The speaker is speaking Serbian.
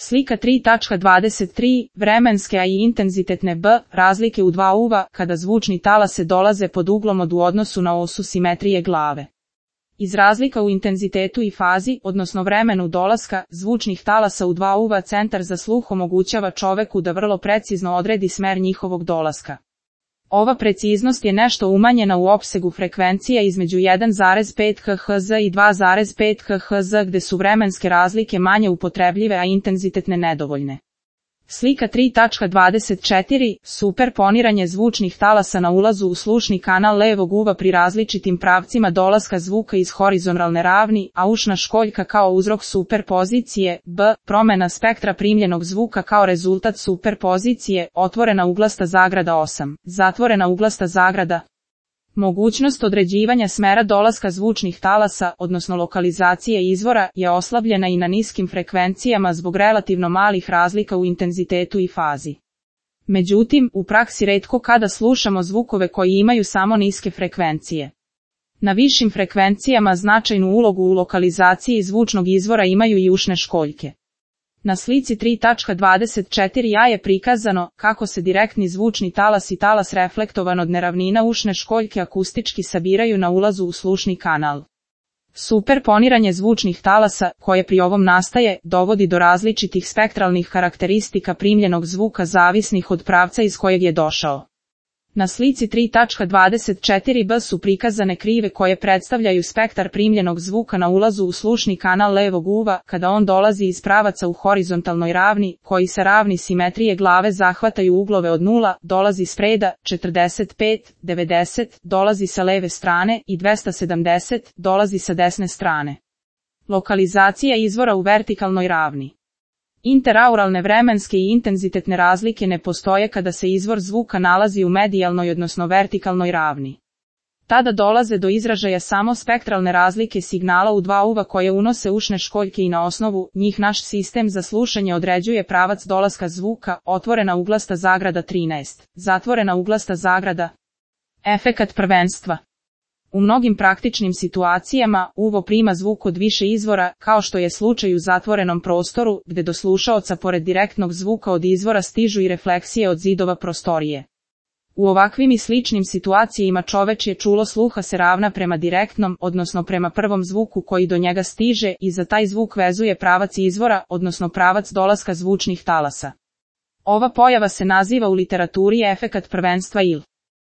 Slika 3.23, vremenske a i intenzitetne b, razlike u dva uva, kada zvučni talase dolaze pod uglom od u odnosu na osu simetrije glave. Iz razlika u intenzitetu i fazi, odnosno vremenu dolaska, zvučnih talasa u dva uva centar za sluh omogućava čoveku da vrlo precizno odredi smer njihovog dolaska. Ova preciznost je nešto umanjena u opsegu frekvencija između 1,5 kHz i 2,5 kHz gde su vremenske razlike manje upotrebljive a intenzitetne nedovoljne. Slika 3.24, superponiranje zvučnih talasa na ulazu u slušni kanal levog uva pri različitim pravcima dolaska zvuka iz horizontalne ravni, a ušna školjka kao uzrok superpozicije, b, promena spektra primljenog zvuka kao rezultat superpozicije, otvorena uglasta zagrada 8, zatvorena uglasta zagrada. Mogućnost određivanja smera dolaska zvučnih talasa, odnosno lokalizacije izvora, je oslabljena i na niskim frekvencijama zbog relativno malih razlika u intenzitetu i fazi. Međutim, u praksi retko kada slušamo zvukove koji imaju samo niske frekvencije. Na višim frekvencijama značajnu ulogu u lokalizaciji zvučnog izvora imaju i ušne školjke. Na slici 3.24a je prikazano kako se direktni zvučni talas i talas reflektovan od neravnina ušne školjke akustički sabiraju na ulazu u slušni kanal. Superponiranje zvučnih talasa, koje pri ovom nastaje, dovodi do različitih spektralnih karakteristika primljenog zvuka zavisnih od pravca iz kojeg je došao. Na slici 3.24b su prikazane krive koje predstavljaju spektar primljenog zvuka na ulazu u slušni kanal levog uva, kada on dolazi iz pravaca u horizontalnoj ravni, koji sa ravni simetrije glave zahvataju uglove od 0, dolazi s preda, 45, 90, dolazi sa leve strane i 270, dolazi sa desne strane. Lokalizacija izvora u vertikalnoj ravni. Interauralne vremenske i intenzitetne razlike ne postoje kada se izvor zvuka nalazi u medijalnoj odnosno vertikalnoj ravni. Tada dolaze do izražaja samo spektralne razlike signala u dva uva koje unose ušne školjke i na osnovu njih naš sistem za slušanje određuje pravac dolaska zvuka, otvorena uglasta zagrada 13, zatvorena uglasta zagrada. Efekat prvenstva. U mnogim praktičnim situacijama, uvo prima zvuk od više izvora, kao što je slučaj u zatvorenom prostoru, gde do slušaoca pored direktnog zvuka od izvora stižu i refleksije od zidova prostorije. U ovakvim i sličnim situacijama čovečje čulo sluha se ravna prema direktnom, odnosno prema prvom zvuku koji do njega stiže i za taj zvuk vezuje pravac izvora, odnosno pravac dolaska zvučnih talasa. Ova pojava se naziva u literaturi efekat prvenstva ili